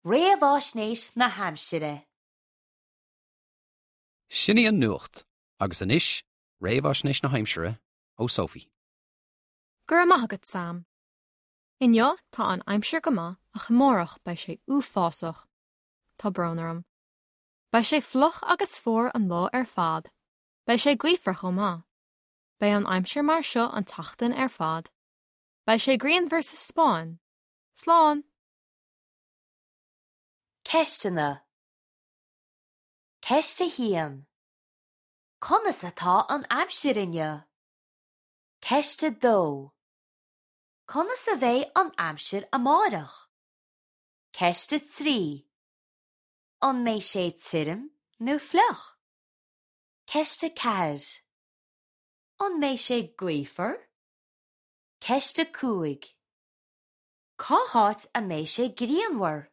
Réamhaisnéis na haimsire. Sin í an nuacht, agus anois réamhaisnéis na haimsire ó Sophie. Go raibh maith agat, Sam. Inniu tá an aimsir go maith ach amárach beidh sé uafásach. Tá brón orm. Beidh sé fliuch agus fuar an lá ar fad. Beidh sé gaofar chomh maith. Beidh an aimsir mar seo an tseachtain ar fad. Beidh sé grianmhar sa Spáinn. Slán! Ceisteanna Ceist 1. Conas atá an aimsir inniu? Ceist 2. Conas a bheidh an aimsir amárach? Ceist 3. An mbeidh sé tirim nó fliuch? Ceist 4. An mbeidh sé gaofar? Ceist 5. Cá háit a mbeidh sé grianmhar?